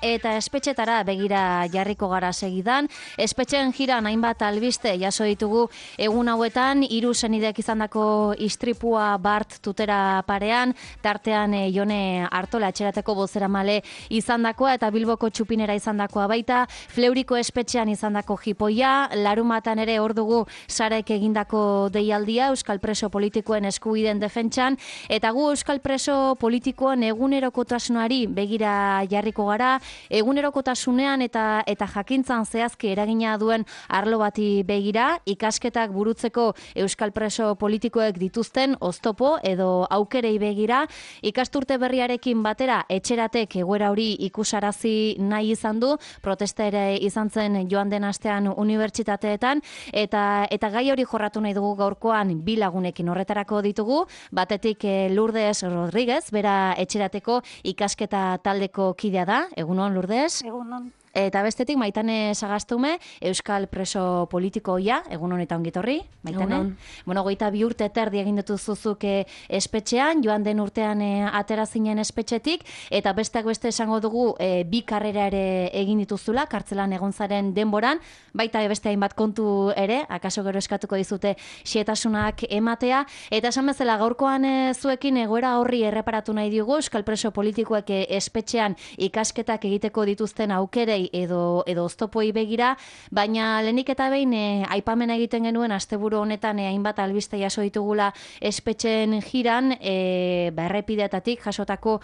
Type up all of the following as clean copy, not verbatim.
Eta espetxetara begira jarriko gara segidan. Espetxen jiran hainbat albiste jaso ditugu egun hauetan, 3 senidek izandako istripua Bart tutera parean, tartean Jone Artola etxerateko bozeramale izandakoa eta Bilboko txupinera izandakoa baita, Fleuriko espetxean izandako jipoia, larumatan ere hor dugu Sarek egindako deialdia euskal preso politikoen eskubideen defentsan, eta gu euskal preso politikoen egunerokotasunari begira jarriko gara, egunerokotasunean eta jakintzan zehazki eragina duen arlo bati begira, ikasketak burutzeko euskal preso politikoek dituzten oztopo edo aukerei begira, ikasturte berriarekin batera etxeratek egoera hori ikusarazi nahi izan du, protesta ere izan zen joan den astean unibertsitateetan, eta gai hori jorratu nahi dugu gaurkoan bi lagunekin horretarako ditugu, batetik Lourdes Rodríguez, bera etxerateko ikasketa taldeko kidea da, egunon Lourdes. Egunon. Eta bestetik Maitane Sagastume, euskal preso politikoia, egunon eta ongitorri, Maitane. Egunon. Bueno, 22 urte terdi egin dituzuzuk espetxean, joan den urtean atera zinen espetxetik, eta besteak beste esango dugu bi karrera ere egin dituzula, kartzelan egon zaren denboran, baita beste hainbat kontu ere, akaso gero eskatuko dizute xietasunak ematea, eta esan bezala gaurkoan zuekin egoera horri erreparatu nahi diogu, euskal preso politikoek espetxean ikasketak egiteko dituzten aukerei edo oztopoi begira, baina lehenik eta behin aipamena egiten genuen asteburu honetan hainbat albiste jaso ditugula espetxen jiran, errepideetatik jasotako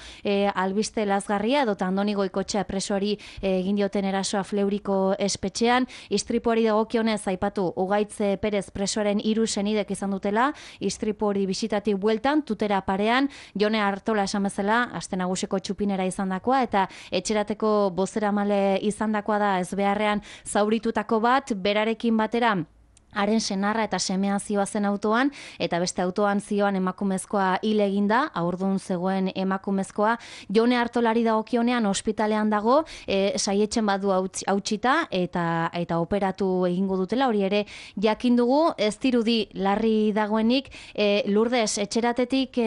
albiste lazgarria, edo Andoni Goikotxea presoari egin dioten erasoa Fleuriko espetxean, istripuari dagokionez aipatu Ugaitz Perez presoaren 3 senidek izan dutela, istripu hori bisitatik bueltan, tutera parean, Jone Artola esan bezala, aste nagusiko txupinera izandakoa, eta etxerateko bozeramale izandakoa da ez beharrean zauritutako bat, berarekin batera haren senarra eta semea zioazen autoan, eta beste autoan zioan emakumezkoa hil eginda, haurdun zegoen emakumezkoa. Jone Artolari dagokionean ospitalean dago, saietxen badu hautsita eta operatu egingo dutela, hori ere jakin dugu, ez dirudi larri dagoenik. Lourdes, etxeratetik,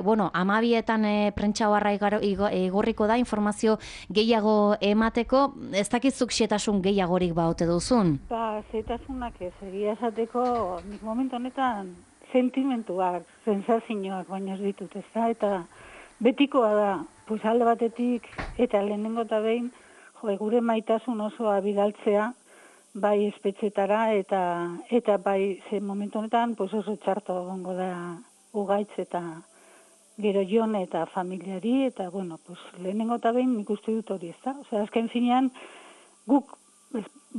12etan prentsa oharra igorriko da, informazio gehiago emateko, ez dakizuk xietasun gehiagorik baote duzun? Zetasunak ez, egia esateko, nik momentu honetan sentimentuak, sensazioak baino ez ditut, ez da, eta betikoa da, pues alde batetik, eta lehenengo eta behin, gure maitasun osoa bidaltzea, bai espetxetara, eta bai, ze momentu honetan, pues oso txarto gongo da Ugaitz eta gero Jone eta familiari, eta bueno, pues lehenengo eta behin nik uste dut hori, ez da, osea, azken finean, guk,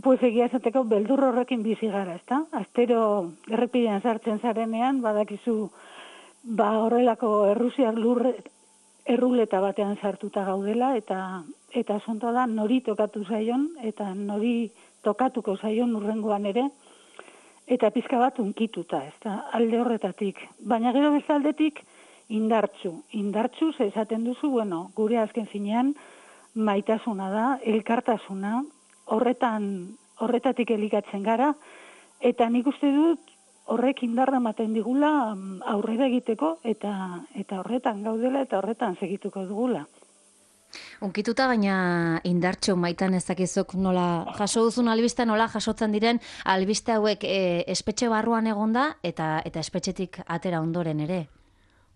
pues egia esateko beldur horrekin bizi gara, ezta? Astero errepidean sartzen zarenean, badakizu horrelako errusiar erruleta batean sartuta gaudela, eta asuntoa da nori tokatu zaion, eta nori tokatuko zaion urrengoan ere, eta pizka bat unkituta, ezta? Alde horretatik. Baina gero beste aldetik indartsu, ze esaten duzu, bueno, gure azken finean maitasuna da, elkartasuna, horretatik elikatzen gara, eta nik uste dut horrek indarra ematen digula aurrera egiteko, eta horretan gaudela eta horretan segituko dugula. Unkituta baina indartxo Maitan ezakizuk nola jaso duzun albiste, nola jasotzen diren albiste hauek espetxe barruan egonda eta espetxetik atera ondoren ere.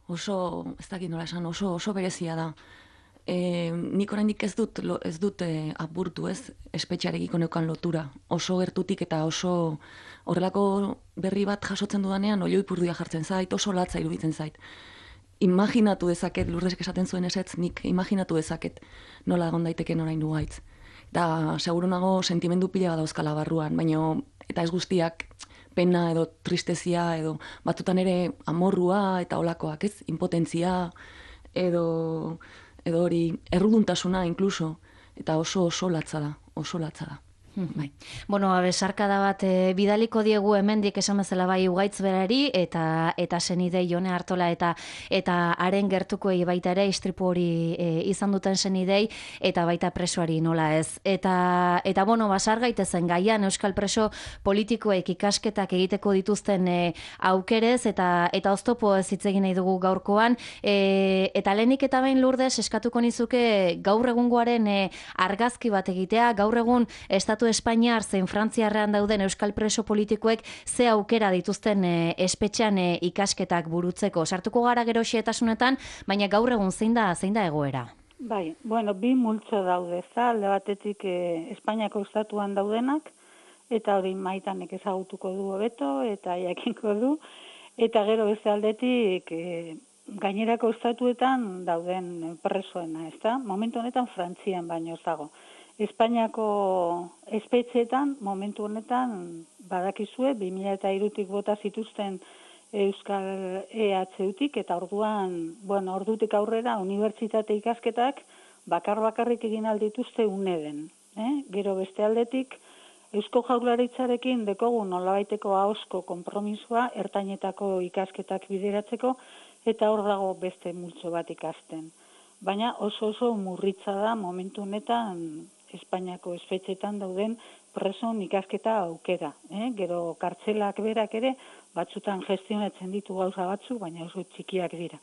Oso, ez dakit nola esan, oso berezia da. Nik oraindik ez dut apurtu, ez, espetxearekiko neukan lotura. Oso gertutik eta oso horrelako berri bat jasotzen dudanean oio ipurdia jartzen zait, oso latza iruditzen zait. Imaginatu dezaket, Lourdesek esaten zuen ezetz, nik imaginatu dezaket nola egon daiteken orain du gaitz. Eta seguru nago sentimendu pila bat dauzkala barruan, baina eta ez guztiak pena edo tristezia edo batzutan ere amorrua eta olakoak, ez, impotentzia edo hori erruduntasuna inkluso, eta oso latza da. Bai. Bueno, besarkada bat bidaliko diegu hemendik esan bezala bai Ugaitz berari eta senidei Jone Artola eta haren gertukoei baita ere istripu hori izan duten senidei eta baita presoari nola ez. Eta bueno, basar gaitezen gaian euskal preso politikoek ikasketak egiteko dituzten aukerez eta oztopo ez hitz egin nahi dugu gaurkoan eta lehenik eta behin Lourdes eskatuko nizuke gaur egungoaren argazki bat egitea, gaur egun Estatu Espainiar zein Frantziarrean dauden euskal preso politikoek ze aukera dituzten espetxean ikasketak burutzeko. Sartuko gara gero xehetasunetan, baina gaur egun zein da egoera? Bai, bueno, bi multzo daude, alde batetik Espainiako estatuan daudenak, eta hori Maitanek ezagutuko du hobeto, eta jakinko du, eta gero beste aldetik gainerako estatuetan dauden presoena, ezta? Momentu honetan Frantzian baino ez dago. Espainiako espetxeetan, momentu honetan, badakizue, 2003-tik bota zituzten Euskal EHUtik, eta ordutik aurrera, unibertsitate ikasketak bakarrik egin aldituzte UNEDen. Gero beste aldetik, Eusko Jaurlaritzarekin dekogu nolabaiteko ahozko konpromisoa ertainetako ikasketak bideratzeko, eta hor dago beste multzo bat ikasten. Baina oso murritza da momentu honetan Espainiako espetxetan dauden preson ikasketa aukera. Gero kartzelak berak ere, batzutan gestionatzen ditu gauza batzu, baina oso txikiak dira.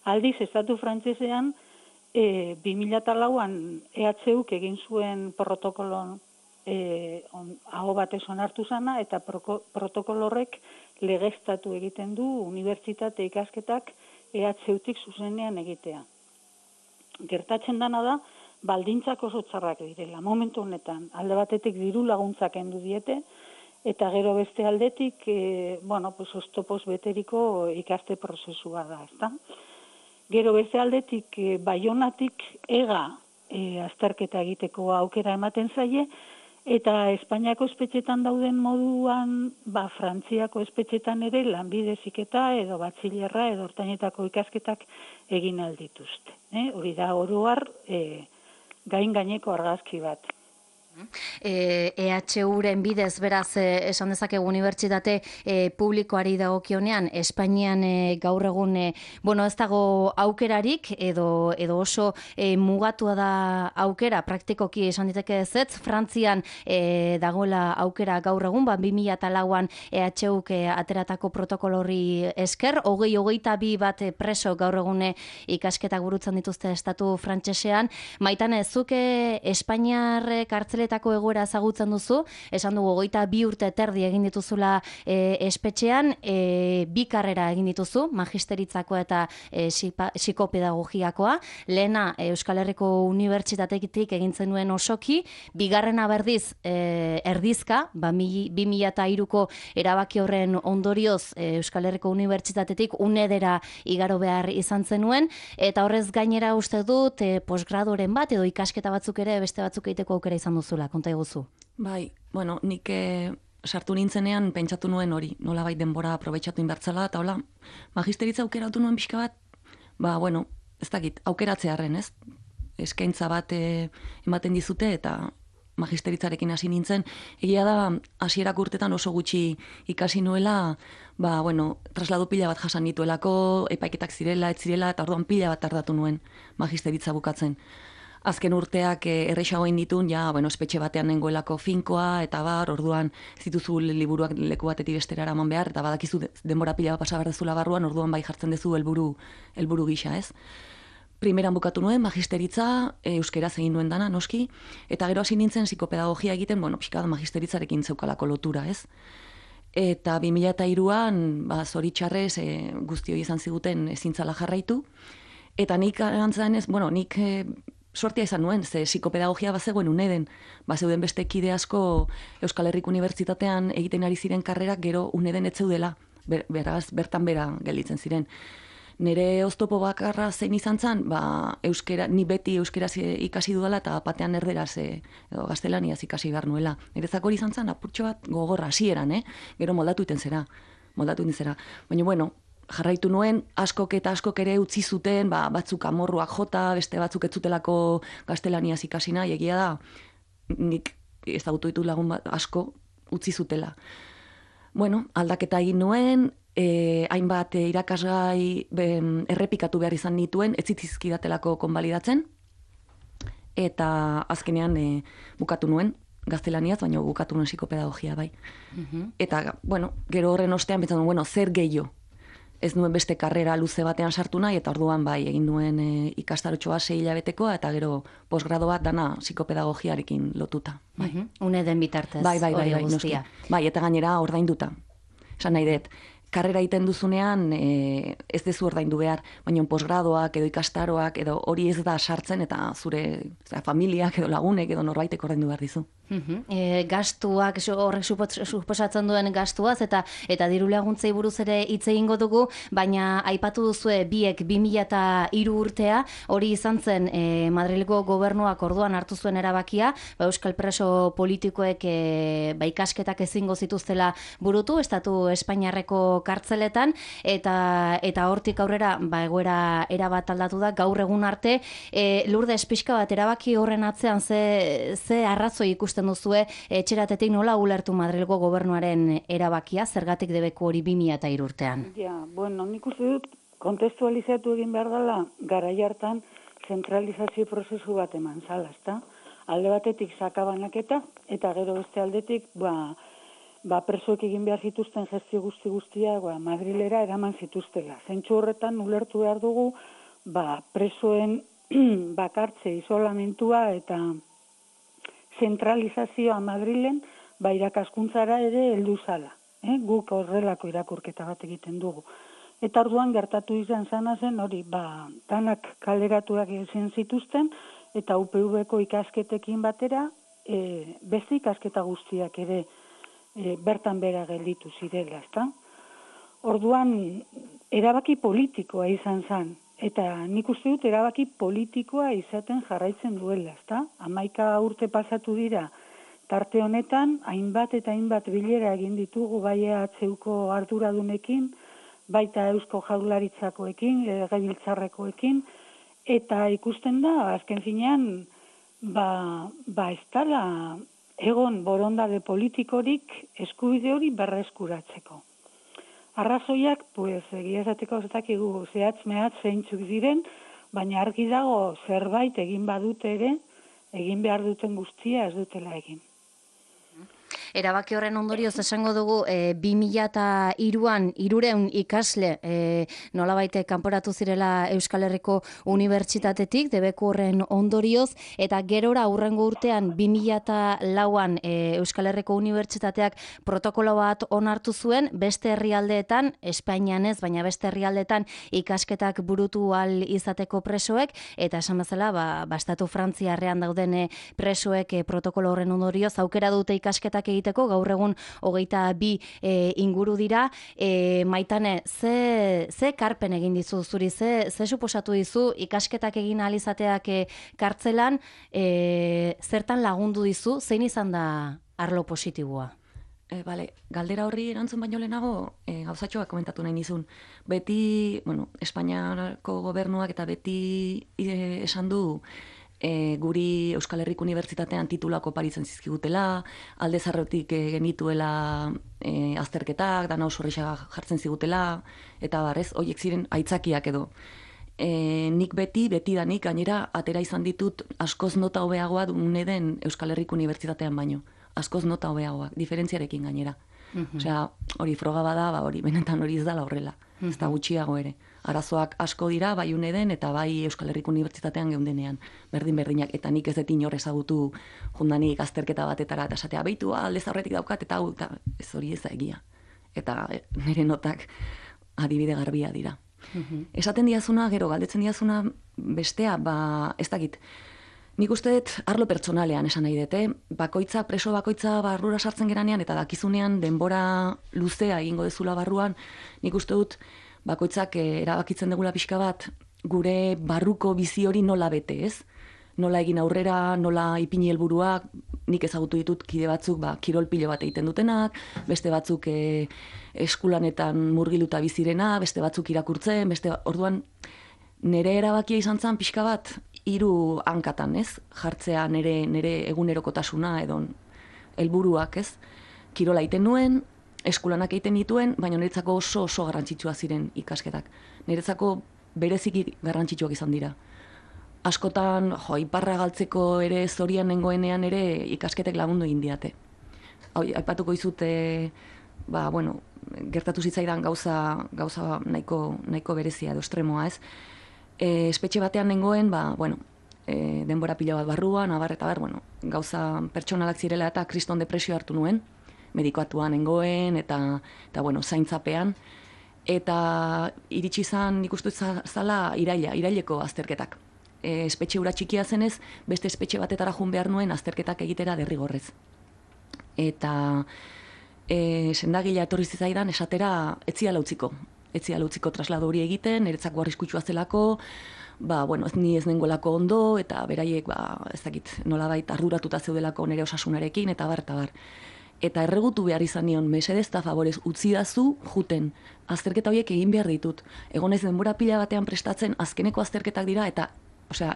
Aldiz, Estatu Frantsesean, 2004an EHUk egin zuen protokolon aho batez onartu zana, eta protokolo horrek legeztatu egiten du unibertsitate ikasketak EHUtik zuzenean egitea. Gertatzen dana da, baldintzak oso txarrak direla. Momentu honetan, alde batetik diru laguntzak kendu diete, eta gero beste aldetik, oztopoz beteriko ikaste prozesua da, ezta? Gero beste aldetik, Baionatik azterketa egiteko aukera ematen zaie, eta Espainiako espetxetan dauden moduan, Frantziako espetxetan ere lanbide heziketa edo batxilerra edo ertainetako ikasketak egin aldituzte. Hori da oro har gaineko argazki bat. EHUren bidez beraz esan dezakegu unibertsitate publikoari dagokionean Espainian gaur egun ez dago aukerarik edo oso mugatua da aukera praktikoki esan diteke ezetz. Frantzian dagoela aukera gaur egun 2004an EHUk ateratako protokolo horri esker 22 bat preso gaur egun ikasketak burutzen dituzte estatu frantsesean. Maitane, zuke Espainiar kartzeletako egoera ezagutzen duzu, esan dugu 22 urte terdi egin dituzula espetxean, 2 karrera egin dituzu, magisteritzakoa eta psikopedagogiakoa, lehena Euskal Herriko Unibertsitatetik egin zenuen osoki, bigarrena berdiz erdizka, 2003ko erabaki horren ondorioz Euskal Herriko Unibertsitatetik UNEDera igaro behar izan zenuen, eta horrez gainera uste dut posgradoren bat edo ikasketa batzuk ere beste batzuk egiteko aukera izan duzula, konta eguzu. Bai, nik sartu nintzenean pentsatu nuen hori, nolabait denbora aprobetxatu inbertzala, eta hola, magisteritza aukeratu nuen pixka bat, ez dakit, aukeratzearen, ez? Eskaintza bat ematen dizute, eta magisteritzarekin hasi nintzen, egia da, hasierak urtetan oso gutxi ikasi nuela, traslado pila bat jasan nituelako, epaiketak zirela, ez zirela, eta orduan pila bat tardatu nuen magisteritza bukatzen. Azken urteak errexagoin ditun, espetxe batean nengoelako finkoa, eta orduan zituzu liburuak leku batetik bestera eraman behar, eta badakizu denbora pila bat pasa behar dezula barruan, orduan bai jartzen dezu helburu gisa, ez? Primeran bukatu nuen, magisteritza, euskeraz egin nuen dana, noski, eta gero hasi nintzen psikopedagogia egiten, pixka da magisteritzarekin zeukalako lotura, ez? Eta 2003an, zoritxarrez, guztioi izan ziguten ezintzala jarraitu, eta nik antzan ez, nik sortia izan nuen, ze psikopedagogia bazegoen UNEDen, bazeuden beste kide asko Euskal Herriko Unibertsitatean egiten ari ziren karrerak gero UNEDen ez zeudela, beraz, bertan bera gelditzen ziren. Nire oztopo bakarra zein izan zen, ni beti euskeraz ikasi dudala eta batean erderaz edo gaztelaniaz ikasi behar nuela. Niretzako hori izan zen, apurtxo bat gogorra hasieran, gero moldatu iten zera. Baina, jarraitu nuen, askok ere utzi zuten, batzuk amorruak jota, beste batzuk ez zutelako gaztelaniaz ikasi nahi, egia da, nik ezagutu ditut lagun asko utzi zutela. Bueno, aldaketa egin nuen, hainbat irakasgai errepikatu behar izan nituen, ez zitzizkidatelako konbalidatzen, eta azkenean bukatu nuen, gaztelaniaz, baina bukatu nuen psikopedagogia bai. Eta, bueno, gero horren ostean betzen duen, zer gehiago? Ez nuen beste karrera luze batean sartu nahi, eta orduan bai, egin nuen ikastarotxoa 6 hilabetekoa, eta gero posgrado bat dana psikopedagogiarekin lotuta. Bai. Une den bitartez, bai, noski. Bai, eta gainera ordainduta. Esan nahi dut, karrera egiten duzunean ez dezu ordaindu behar, baina posgradoak edo ikastaroak edo hori ez da sartzen eta zure familiak edo lagunek edo norbaitek ordaindu behar dizu. Gastuak, horrek suposatzen duen gastuaz, eta diru laguntzei buruz ere hitz egingo dugu, baina aipatu duzue biek 2003 urtea, hori izan zen Madrilgo gobernuak orduan hartu zuen erabakia, euskal preso politikoek ikasketak ezingo zituztela burutu, estatu Espainiarreko kartzeletan, eta hortik aurrera egoera erabat aldatu da, gaur egun arte, Lourdes, pixka bat, erabaki horren atzean ze arrazoi ikusten duzue etxeratetik nola ulertu Madrilgo gobernuaren erabakia, zergatik debeku hori 2003 urtean? Bueno, nik uste dut kontestualizatu egin behar dela garai hartan zentralizazio prozesu bat eman zala, ezta? Alde batetik sakabanaketa, eta gero beste aldetik, presoek egin behar zituzten gestio guztia, Madrilera eraman zituztela. Zentsu horretan ulertu behar dugu, presoen bakartze, isolamentua eta zentralizazioa Madrilen, irakaskuntzara ere heldu zala. Guk horrelako irakurketa bat egiten dugu. Eta orduan gertatu izan zen hori, danak kaleratuak ezin zituzten, eta UPV-ko ikasketekin batera, beste ikasketa guztiak ere bertan bera gelditu zirela, ezta? Orduan, erabaki politikoa izan zen. Eta nik uste dut erabaki politikoa izaten jarraitzen duela, ezta? 11 urte pasatu dira, tarte honetan, hainbat eta hainbat bilera egin ditugu bai EHUko arduradunekin, baita Eusko Jaurlaritzakoekin, legebiltzarrekoekin, eta ikusten da, azken finean, ez dela egon borondade politikorik eskubide hori berreskuratzeko. Arrazoiak, egia esateko ez dakigu zehatz-mehatz zeintzuk diren, baina argi dago zerbait egin badute ere, egin behar duten guztia ez dutela egin. Erabaki horren ondorioz esango dugu 2003an 300 ikasle nolabait kanporatu zirela Euskal Herriko Unibertsitatetik, debeku horren ondorioz, eta gerora hurrengo urtean 2004an Euskal Herriko Unibertsitateak protokolo bat onartu zuen, beste herrialdeetan, Espainian ez, baina beste herrialdeetan ikasketak burutu ahal izateko presoek, eta esan bezala, estatu Frantziarrean dauden presoek protokolo horren ondorioz aukera dute ikasketak egiteko, gaur egun 22 inguru dira. Maitane, ze karpen egin dizu zuri, ze suposatu dizu ikasketak egin ahal izateak kartzelan, zertan lagundu dizu, zein izan da arlo positiboa? Galdera horri erantzun baino lehenago, gauzatxoak komentatu nahi nizun. Beti, Espainiako gobernuak eta beti esan du, guri Euskal Herriko Unibertsitatean titulako paritzen zizkigutela, alde zarretik genituela azterketak, dana oso horrexak jartzen zigutela, eta horiek ziren aitzakiak edo. Nik betidanik gainera atera izan ditut askoz nota hobeagoa dune den Euskal Herriko Unibertsitatean baino. Askoz nota hobeagoak, diferentziarekin gainera. Osea, hori froga bada, hori benetan hori ez dala horrela. Ez da gutxiago ere. Arazoak asko dira, bai uneden eta bai Euskal Herriko Unibertsitatean geundenean. Berdin-berdinak, eta nik ez dut inor ezagutu jundanik azterketa batetara, eta esatea behitu, aldez aurretik daukat, eta hau, ez hori ez da egia. Eta nire notak adibide garbia dira. Esaten diazuna, gero galdetzen diazuna bestea, ez dakit, nik uste dut arlo pertsonalean esan nahi dute, preso bakoitza barrura sartzen geranean, eta dakizunean denbora luzea egingo dezula barruan, nik uste dut bakoitzak erabakitzen degula pixka bat, gure barruko bizi hori nola bete, ez? Nola egin aurrera, nola ipini helburuak, nik ezagutu ditut kide batzuk kirol pilo bat egiten dutenak, beste batzuk eskulanetan murgiluta bizirena, beste batzuk irakurtzen, orduan nire erabakia izan zen pixka bat 3 hankatan, ez? Jartzea nire egunerokotasuna edo helburuak, ez? Kirola egiten nuen, eskulanak egiten dituen, baina niretzako oso garrantzitsua ziren ikasketak. Niretzako bereziki garrantzitsuak izan dira. Askotan, iparra galtzeko ere zorian nengoenean ere ikasketek lagundu egin diate. Aipatuko izute, gertatu zitzaidan gauza nahiko berezia edo estremoa, ez? Espetxe batean nengoen, denbora pila bat barruan, gauza pertsonalak zirela eta kriston depresio hartu nuen, medikoatuan nengoen eta zaintzapean, eta iritsi izan ikustu zala iraileko azterketak. Espetxe hura txikia zenez, beste espetxe batetara joan behar nuen azterketak egitera derrigorrez. Eta sendagilea etorri zitzaidan esatera etziala utziko traslado hori egiten, niretzako arriskutsua zelako, ni ez nengoelako ondo, eta beraiek, ez dakit, nolabait arduratuta zeudelako nire osasunarekin, eta bar. Eta erregutu behar izan nion, mesedez eta favorez, utzidazu juten, azterketa horiek egin behar ditut. Egonez denbora pila batean prestatzen, azkeneko azterketak dira, eta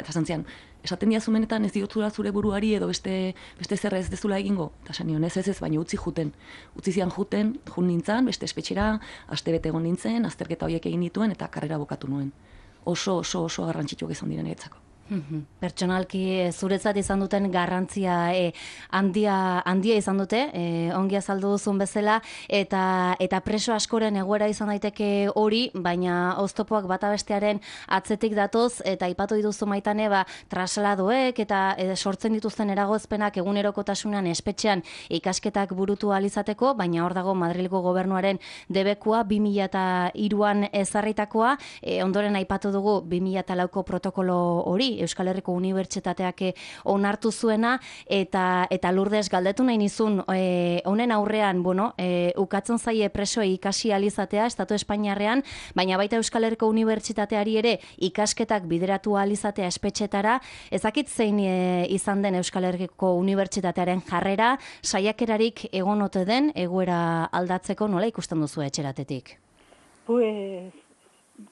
zantzian, esaten diazumenetan ez diotzula zure buruari edo beste zerra ez dezula egingo. Eta esan nion, ez, baina utzi juten. Utzi zian jun nintzen, beste espetxera, astebete egon nintzen, azterketa horiek egin dituen, eta karrera bukatu nuen. Oso garrantzitsuak izan diren eretzako. Pertsonalki zuretzat izan duten garrantzia handia izan dute, ongi azaldu duzun bezala, eta preso askoren egoera izan daiteke hori, baina oztopoak bata bestearen atzetik datoz, eta aipatu dituzu Maitane, trasladoek eta sortzen dituzten eragozpenak egunerokotasunean espetxean ikasketak burutu ahal izateko, baina hor dago Madrilgo gobernuaren debekua 2003an ezarritakoa, ondoren aipatu dugu 2004ko protokolo hori, Euskal Herriko Unibertsitateak onartu zuena, eta Lourdes galdetu nahi nizun, honen aurrean, ukatzen zaie presoei ikasi ahal izatea Estatu Espainiarrean, baina baita Euskal Herriko Unibertsitateari ere ikasketak bideratu ahal izatea espetxetara, ezakit zein izan den Euskal Herriko Unibertsitatearen jarrera, saiakerarik egon ote den egoera aldatzeko, nola ikusten duzu etxeratetik? Pues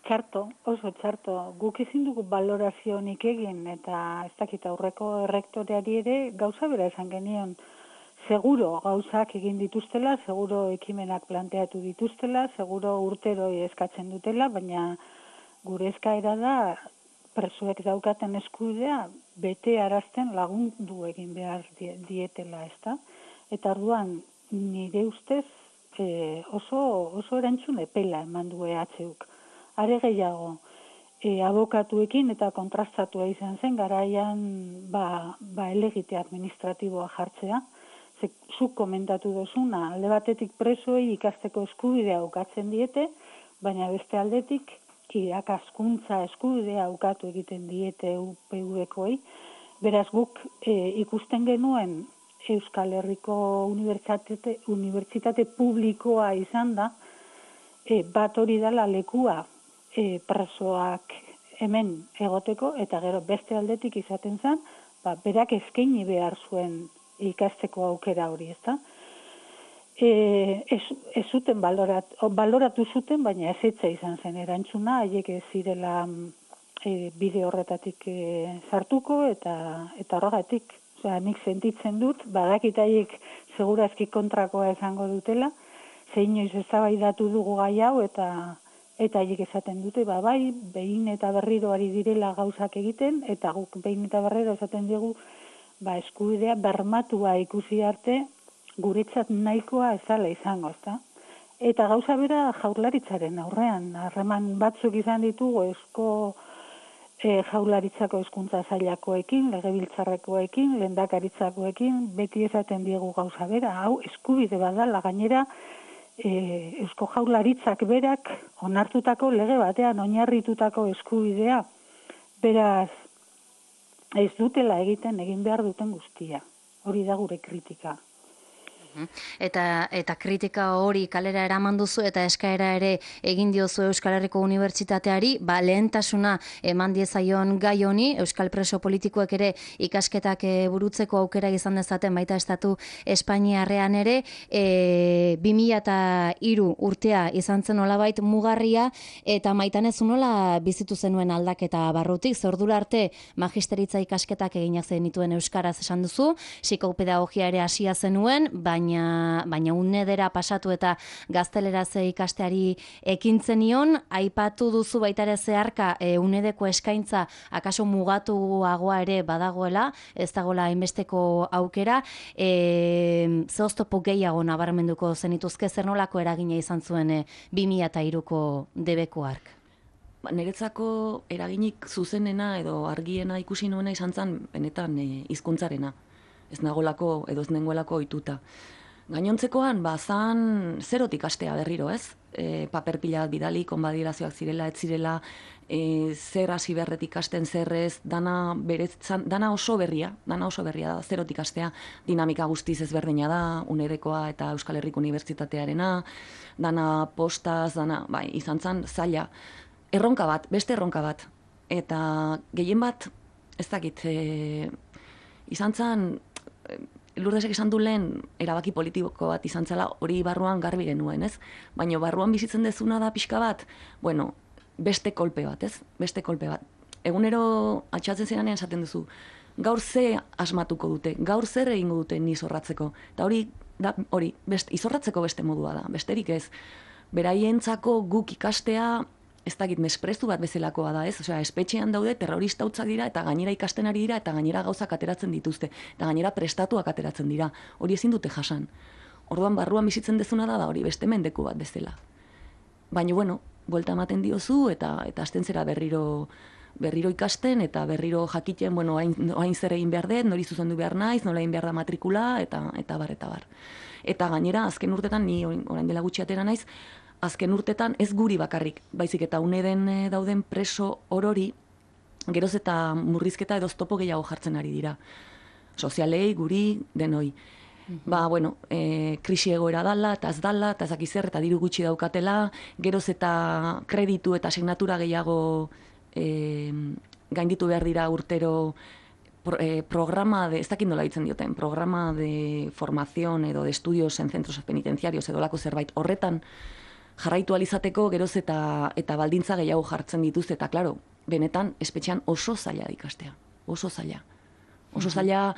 txarto, oso txarto. Guk ezin dugu balorazionik egin, eta ez dakit aurreko errektoreari ere gauza bera esan genion. Seguro gauzak egin dituztela, seguro ekimenak planteatu dituztela, seguro urtero eskatzen dutela, baina gure eskaera da presoek daukaten eskubidea bete arazten lagundu egin behar dietela, ezta? Eta orduan nire ustez oso erantzun epela eman du EHuk. Are gehiago, abokatuekin eta kontrastatua izan zen, garaian elegite administratiboa jartzea. Zuk komentatu dozuna, alde batetik presoei ikasteko eskubidea ukatzen diete, baina beste aldetik irakaskuntza eskubidea ukatu egiten diete UPV-koei. Beraz guk ikusten genuen Euskal Herriko Unibertsitate publikoa izan da, bat hori dela lekua presoak hemen egoteko, eta gero beste aldetik izaten zen, berak eskaini behar zuen ikasteko aukera hori, ezta? Ez zuten baloratu zuten, baina ezetza izan zen erantzuna, haiek ez zirela bide horretatik sartuko, eta horregatik, nik sentitzen dut, badakit haiek segurazki kontrakoa esango dutela, zeinoiz eztabaidatu dugu gai hau, eta haiek esaten dute, bai, behin eta berriro ari direla gauzak egiten, eta guk behin eta berriro esaten dugu, eskubidea bermatua ikusi arte, guretzat nahikoa ez dela izango, ezta? Eta gauza bera Jaurlaritzaren aurrean, harreman batzuk izan ditugu Jaurlaritzako hezkuntza sailakoekin, legebiltzarrekoekin, lehendakaritzakoekin, beti esaten diegu gauza bera, hau eskubide badala gainera, Eusko Jaurlaritzak berak onartutako lege batean oinarritutako eskubidea, beraz ez dutela egin behar duten guztia. Hori da gure kritika. Eta kritika hori kalera eraman duzu eta eskaera ere egin diozu Euskal Herriko Unibertsitateari, lehentasuna eman diezaion gai honi, Euskal preso politikoek ere ikasketak burutzeko aukera izan dezaten baita estatu Espainiarrean ere, 2003 urtea izan zen nolabait mugarria, eta Maitane zu nola bizitu zenuen aldaketa barrutik, ze ordura arte magisteritza ikasketak eginak zenituen euskaraz esan duzu, psikopedagogia ere hasia zenuen, baina unedera pasatu eta gazteleraz ikasteari ekin zenion, aipatu duzu baita ere zeharka unedeko eskaintza akaso mugatuagoa ere badagoela, ez dagoela hainbesteko aukera, ze oztopo gehiago nabarmenduko zenituzke, zer nolako eragina izan zuen 2003ko debeko hark? Niretzako eraginik zuzenena edo argiena ikusi nuena izan zen benetan hizkuntzarena. Ez nagolako edo ez nengoelako ohituta. Gainontzekoan, zan zerotik astea berriro, ez? Paper pila bat bidali, konbadierazioak zirela, ez zirela, zer hasi berretik ikasten zerrez, dana oso berria da, zerotik astea, dinamika guztiz ezberdina da, UNEDekoa eta Euskal Herriko Unibertsitatearena, dana postaz, izan zen zaila. Erronka bat, beste erronka bat. Eta gehien bat, ez dakit, izan zen, Lurdesek esan du lehen erabaki politiko bat izan zela, hori barruan garbi genuen, ez? Baina barruan bizitzen dezuna da pixka bat, beste kolpe bat, ez? Beste kolpe bat. Egunero atxatzen zeranean esaten duzu, gaur ze asmatuko dute, gaur zer egingo dute ni izorratzeko. Eta hori, izorratzeko beste modua da, besterik ez. Beraientzako guk ikastea, ez dakit, mesprezu bat bezalakoa da, ez? Osea, espetxean daude, terrorista hutzak dira, eta gainera ikasten ari dira, eta gainera gauzak ateratzen dituzte, eta gainera prestatuak ateratzen dira. Hori ezin dute jasan. Orduan barruan bizitzen dezuna da hori beste mendeku bat bezala. Baina, buelta ematen diozu, eta hasten zera berriro ikasten, eta berriro jakiten, orain zer egin behar dut, nori zuzendu behar naiz, nola egin behar da matrikula, eta bar. Eta gainera, azken urtetan, ni orain dela gutxi atera naiz, azken urtetan ez guri bakarrik, baizik eta UNEDen dauden preso orori, geroz eta murrizketa edo oztopo gehiago jartzen ari dira. Sozialei, guri, denoi. Krisi egoera dala, eta ez dala, eta ezak izer, eta diru gutxi daukatela, geroz eta kreditu eta asignatura gehiago gainditu behar dira urtero programa ez dakit nola ditzen dioten, programa de formación edo de estudios en centros penitenciarios edo lako zerbait horretan, jarraitu alizateko geroz eta baldintza gehiago jartzen dituzte, eta klaro, benetan espetxean oso zaila ikastea, oso zaila. Oso zaila,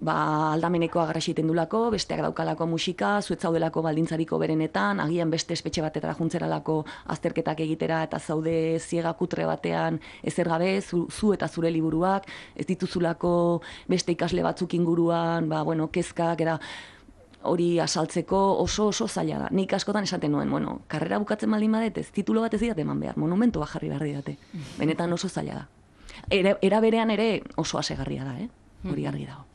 aldameneko agarraxiten dulako, besteak daukalako musika, zuetzaudelako baldintzariko berenetan, agian beste espetxe batetara juntzeralako azterketak egitera, eta zaude ziega kutre batean ezer gabe, zu eta zure liburuak, ez dituzulako beste ikasle batzuk inguruan, kezkak, eta hori asaltzeko oso zaila da. Nik askotan esaten nuen, karrera bukatzen baldin badet, ez titulo bat ez didat eman behar, monumento bat jarri behar didate. Benetan oso zaila da. Era berean ere oso asegarria da, hori argi dago.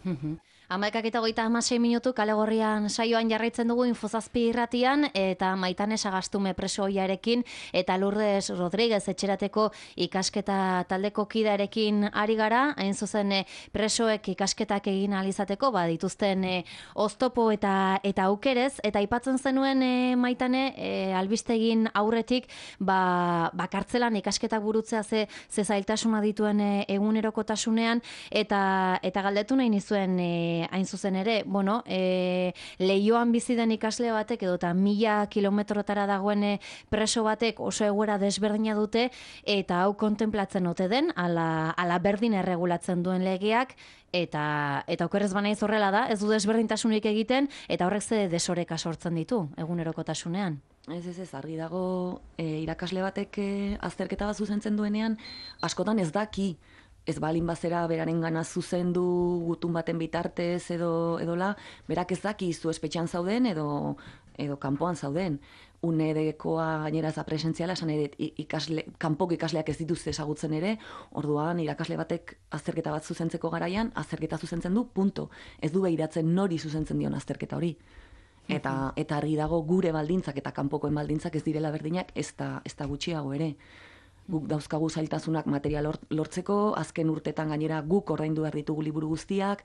11:36 minutu Kale Gorrian saioan jarraitzen dugu Infozazpi irratian, eta Maitane Sagastume presoiarekin eta Lourdes Rodríguez etxerateko ikasketa taldeko kidearekin ari gara, hain zuzen presoek ikasketak egin ahal izateko, dituzten oztopo eta aukerez, eta aipatzen zenuen Maitane, albistegin aurretik, kartzelan ikasketak burutzea ze zailtasuna dituen egunerokotasunean, eta galdetu nahi nizuen hain zuzen ere, Leioan bizi den ikasle batek edo eta 1000 kilometrotara dagoen preso batek oso egoera desberdina dute, eta hau kontemplatzen ote den, ala berdin erregulatzen duen legeak, eta okerrez banaiz horrela da, ez du desberdintasunik egiten, eta horrek ze desoreka sortzen ditu egunerokotasunean. Ez, argi dago, irakasle batek azterketa bat zuzentzen duenean, askotan ez daki, ez balin bazera beraren gana zuzendu gutun baten bitartez edola, berak ez daki zu espetxean zauden edo kanpoan zauden. UNEDekoa gainera ez da presentziala, esan edo kanpoko ikasleak ez dituzte ezagutzen ere, orduan irakasle batek azterketa bat zuzentzeko garaian, azterketa zuzentzen du, punto. Ez du behiratzen nori zuzentzen dion azterketa hori. Eta argi dago gure baldintzak eta kanpokoen baldintzak ez direla berdinak, ez da gutxiago ere. Guk dauzkagu zailtasunak material lortzeko, azken urtetan gainera guk ordaindu behar ditugu liburu guztiak,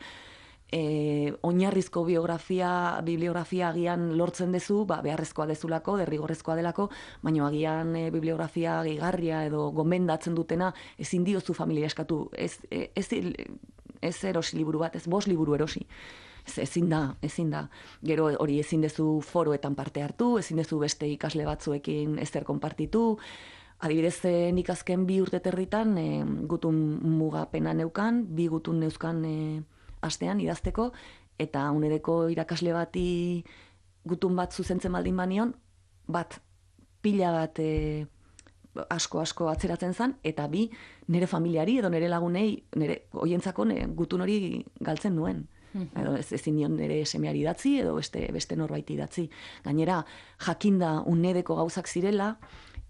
oinarrizko bibliografia agian lortzen dezu, beharrezkoa dezulako, derrigorrezkoa delako, baina agian bibliografia gehigarria edo gomendatzen dutena ezin diozu familia eskatu, ez erosi liburu bat, ez 5 liburu erosi. Ezin da. Gero hori ezin dezu foroetan parte hartu, ezin dezu beste ikasle batzuekin ezer konpartitu. Adibidez, nik azken 2 urte territan gutun mugapena neukan, 2 gutun neuzkan astean idazteko, eta unedeko irakasle bati gutun bat zuzentzen baldin banion, pila bat asko atzeratzen zen, eta 2 nire familiari edo nire lagunei, hoientzako gutun hori galtzen nuen. Edo ezin nion nire semeari idatzi edo beste norbait idatzi. Gainera, jakinda unedeko gauzak zirela,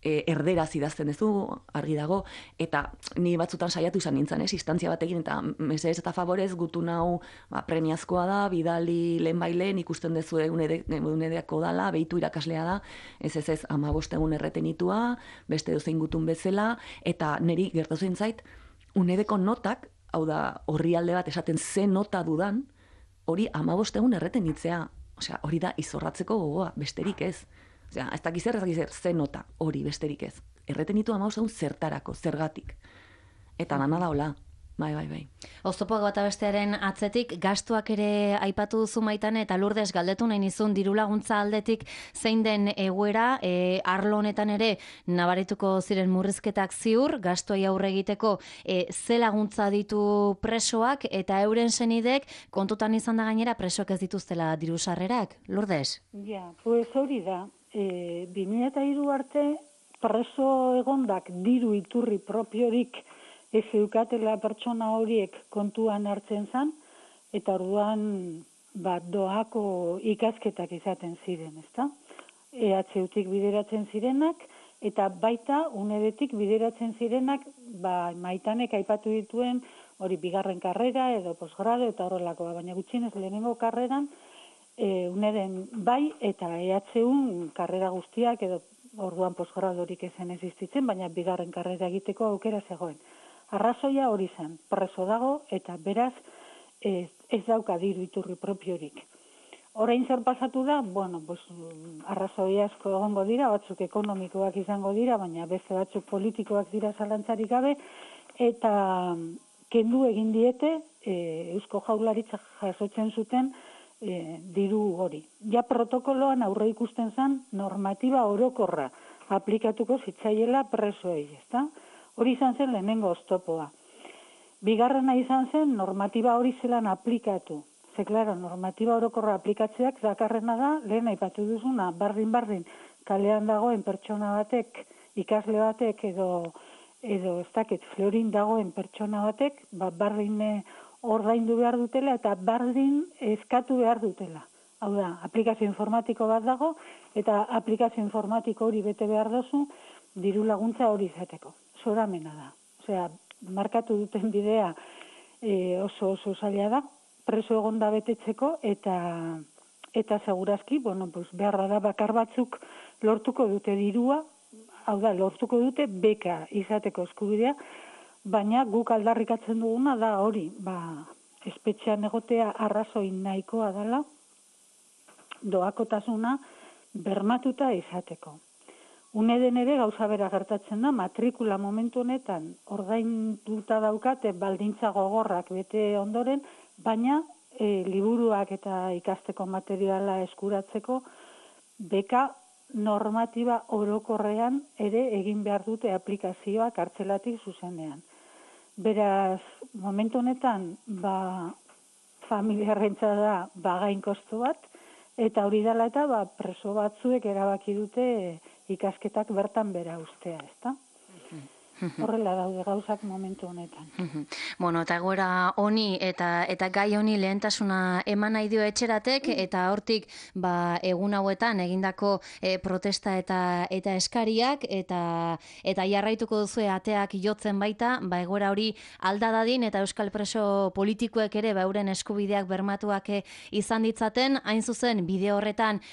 erderaz idazten duzu, argi dago, eta ni batzutan saiatu izan nintzen, instantzia batekin, eta mesedez eta favorez gutun hau premiazkoa da, bidali lehen ikusten duzu unedeko dala, behitu irakaslea da, ez, 15 egun erretenitua, beste dozein gutun bezala, eta niri gertatu zait, unedeko notak, hau da, orrialde bat esaten ze nota dudan, hori 15 egun erretenitzea, osea, hori da izorratzeko gogoa, besterik ez. Osea, ez dakiz ze nota, hori besterik ez. Erretenitu 15 egun zertarako, zergatik. Eta dana da hola. Bai. Oztopoak bata bestearen atzetik, gastuak ere aipatu duzu Maitane, eta Lourdes galdetu nahi nizun diru laguntza aldetik zein den egoera, arlo honetan ere nabarituko ziren murrizketak ziur, gastuai aurre egiteko ze laguntza ditu presoak, eta euren senidek kontutan izan da gainera presoak ez dituztela diru sarrerak, Lourdes? Ja, pues hori da, 2003 arte preso egondak diru iturri propiorik ez eukatela pertsona horiek kontuan hartzen zan, eta orduan doako ikasketak izaten ziren, ezta? EHUtik bideratzen zirenak, eta baita unedetik bideratzen zirenak, Maitanek aipatu dituen hori 2. karrera edo posgrado eta horrelakoa, baina gutxienez lehenengo karreran uneden bai eta EHUn karrera guztiak edo orduan posgradorik ezen existitzen, baina 2. karrera egiteko aukera zegoen. Arrazoia hori zen, preso dago eta beraz ez dauka diru iturri propiorik. Orain zer pasatu da, arrazoi asko egongo dira, batzuk ekonomikoak izango dira, baina beste batzuk politikoak dira zalantzarik gabe, eta kendu egin diete Eusko Jaurlaritza jasotzen zuten diru hori. Ja protokoloan aurre ikusten zen normatiba orokorra aplikatuko zitzaiela presoei, ezta? Hori izan zen lehenengo oztopoa. Bigarrena izan zen normatiba hori zelan aplikatu. Ze, klaro, normatiba orokorra aplikatzeak dakarrena da, lehen aipatu duzuna, bardin kalean dagoen pertsona batek, ikasle batek edo ez dakit, florin dagoen pertsona batek, bardin ordaindu behar dutela eta bardin eskatu behar dutela. Hau da, aplikazio informatiko bat dago eta aplikazio informatiko hori bete behar dozu diru laguntza hori izateko. Zoramena da. Osea, markatu duten bidea oso zaila da, preso egonda betetzeko eta segurazki, beharra da bakar batzuk lortuko dute dirua, hau da, lortuko dute beka izateko eskubidea, baina guk aldarrikatzen duguna da hori, espetxean egotea arrazoi nahikoa dela, doakotasuna bermatuta izateko. Uneden ere gauza bera gertatzen da, matrikula momentu honetan ordainduta daukate baldintza gogorrak bete ondoren, baina liburuak eta ikasteko materiala eskuratzeko beka normatiba orokorrean ere egin behar dute aplikazioa kartzelatik zuzenean. Beraz, momentu honetan, familiarrentza da gain kostu bat, eta hori dela eta preso batzuek erabaki dute ikasketak bertan bera ustea, ezta? Horrela daude gauzak momentu honetan. Eta egoera honi eta gai honi lehentasuna eman nahi dio etxeratek, eta hortik egun hauetan egindako protesta eta eskariak, eta jarraituko duzue ateak jotzen baita, egoera hori alda dadin, eta euskal preso politikoek ere euren eskubideak bermatuak izan ditzaten, hain zuzen bideo horretan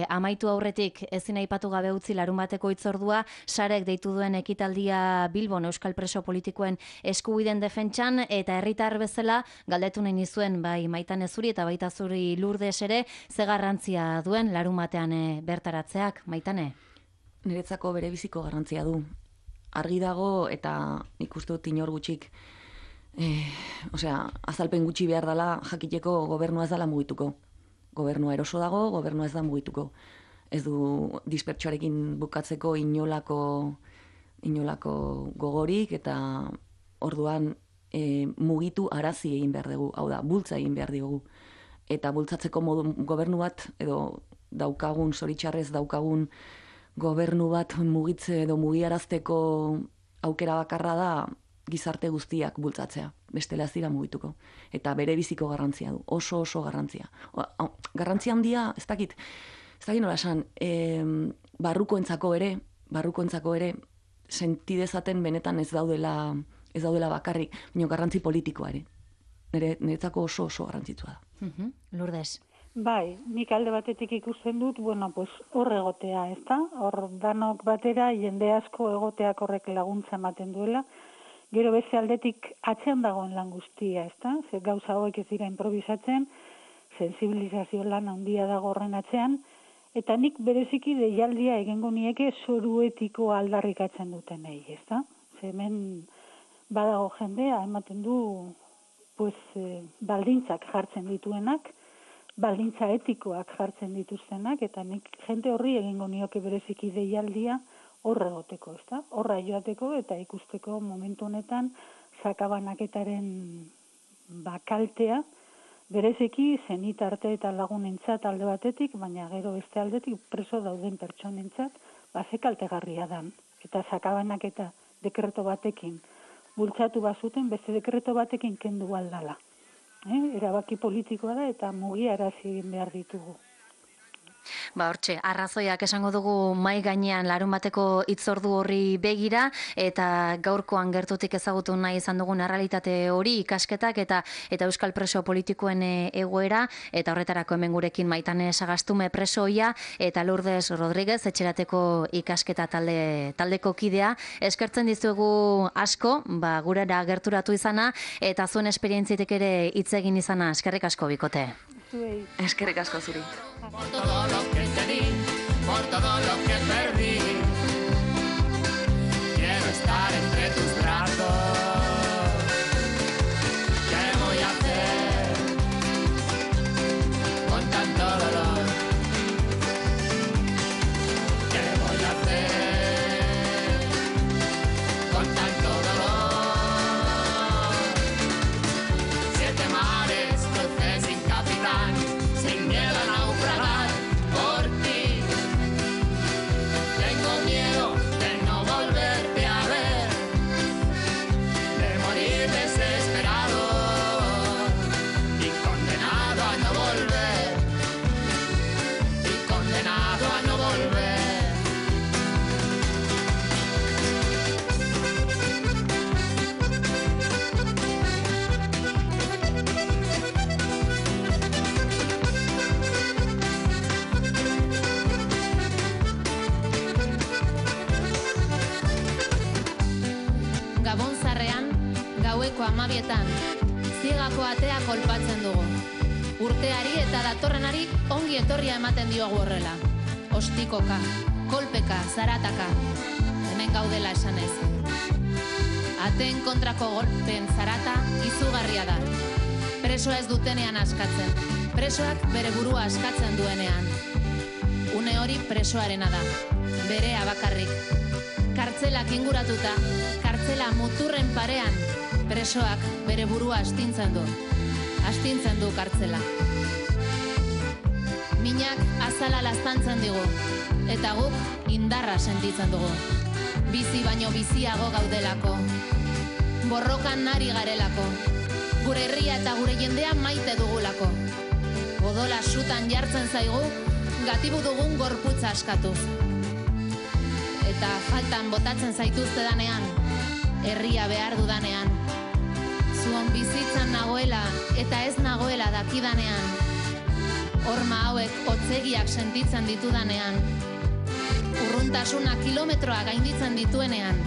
amaitu aurretik ezin aipatu gabe utzi larunbateko hitzordua, sarek deitu duen ekitaldia duzula Bilbon euskal preso politikoen eskubideen defentsan, eta herritar bezala galdetu nahi nizuen bai Maitane zuri eta baita zuri Lourdes ere, ze garrantzia duen larumatean bertaratzeak, Maitane? Niretzako berebiziko garrantzia du. Argi dago eta nik uste dut inor gutxik, azalpen gutxi behar dela jakiteko gobernua ez dela mugituko. Gobernua eroso dago, gobernua ez da mugituko. Ez du dispertsoarekin bukatzeko inolako gogorik, eta orduan mugitu arazi egin behar dugu, hau da, bultza egin behar dugu. Eta bultzatzeko gobernu bat, edo daukagun, zoritxarrez daukagun gobernu bat mugitze edo mugiarazteko aukera bakarra da gizarte guztiak bultzatzea, bestela ez dira mugituko. Eta bere biziko garrantzia du, oso garrantzia. Garrantzia handia, ez dakit nola esan, barrukoentzako ere, sentidezaten benetan ez daudela bakarrik, baina garrantzi politikoa ere. Niretzako oso garrantzitsua da. Lourdes. Bai, nik alde batetik ikusten dut, hor egotea, ezta? Hor danok batera, jende asko egoteak horrek laguntza ematen duela. Gero beste aldetik atzean dagoen lan guztia, ezta? Ze gauza hauek ez dira improvisatzen, sensibilizazio lan handia dago horren atzean, eta nik bereziki deialdia egingo nieke zoru etiko aldarrikatzen dutenei, ezta? Ze hemen badago jendea, ematen du baldintzak jartzen dituenak, baldintza etikoak jartzen dituztenak, eta nik jende horri egingo nioke bereziki deialdia horre egoteko, ezta? Horra joateko eta ikusteko momentu honetan sakabanaketaren kaltea, bereziki zenitarte eta lagunentzat alde batetik, baina gero beste aldetik preso dauden pertsonentzat, ze kaltegarria dan. Eta sakabanaketa dekreto batekin bultzatu bazuten, beste dekreto batekin kendu aldala. Erabaki politikoa da eta mugiarazi egin behar ditugu. Hortxe, arrazoiak esango dugu mai gainean larunbateko hitzordu horri begira, eta gaurkoan gertutik ezagutu nahi izan dugun errealitate hori, ikasketak eta euskal preso politikoen egoera, eta horretarako hemen gurekin Maitane Sagastume presoia eta Lourdes Rodríguez etxerateko ikasketa taldeko kidea. Eskertzen dizuegu asko, gurera gerturatu izana, eta zuen esperientzitik ere hitz egin izana. Eskerrik asko, bikote. Eskerrik asko zuri. Por todo lo que te di, por todo lo que perdí, quiero estar entre tus brazos. ¿Qué voy a hacer con tanto dolor? ¿Qué voy a hacer con tanto dolor? 7 mares crucé sin capitán, sin miedo a naufragar por ti. Tengo miedo de no volverte a ver, de morir desesperado y condenado a no volver, y condenado a no volver. Gabon zarrean, gaueko 12etan, ziegako atea kolpatzen dugu. Urteari eta datorrenari ongi etorria ematen diogu horrela. Ostikoka, kolpeka, zarataka, hemen gaudela esanez. Ateen kontrako golpen zarata izugarria da. Presoa ez dutenean askatzen, presoak bere burua askatzen duenean. Une hori presoarena da, berea bakarrik. Kartzelak inguratuta, kartzela muturren parean, presoak bere burua astintzen du kartzela. Minak azala laztantzen digu, eta guk indarra sentitzen dugu. Bizi baino biziago gaudelako, borrokan nari garelako, gure herria eta gure jendea maite dugulako. Odola sutan jartzen zaigu, gatibu dugun gorputza askatuz. Eta faltan botatzen zaituzte danean, herria behar dudanean, zuon bizitzan nagoela eta ez nagoela dakidanean, horma hauek hotzegiak sentitzen ditudanean, urruntasuna kilometroa gainditzen dituenean,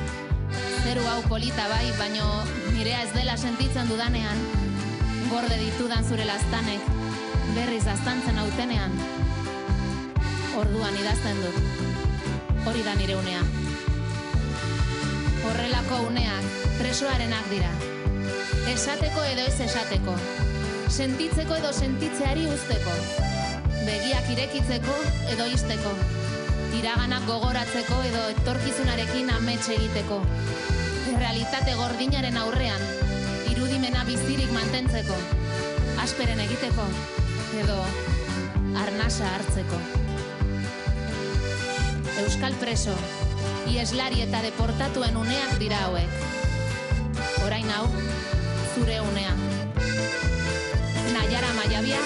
zeru hau polita bai, baino nirea ez dela sentitzen dudanean, gorde ditudan zure laztanek, berriz aztantzen autenean, orduan idazten dut, hori da nire unea. Horrelako uneak presoarenak dira, esateko edo ez esateko, sentitzeko edo sentitzeari uzteko, begiak irekitzeko edo izteko, iraganak gogoratzeko edo etorkizunarekin amets egiteko, realitate gordinaren aurrean, irudimena bizirik mantentzeko, asperen egiteko edo arnasa hartzeko. Euskal preso, ieslari eta deportatuen uneak dira hauek. Orain hau, zure unea. Naiara Maiabia,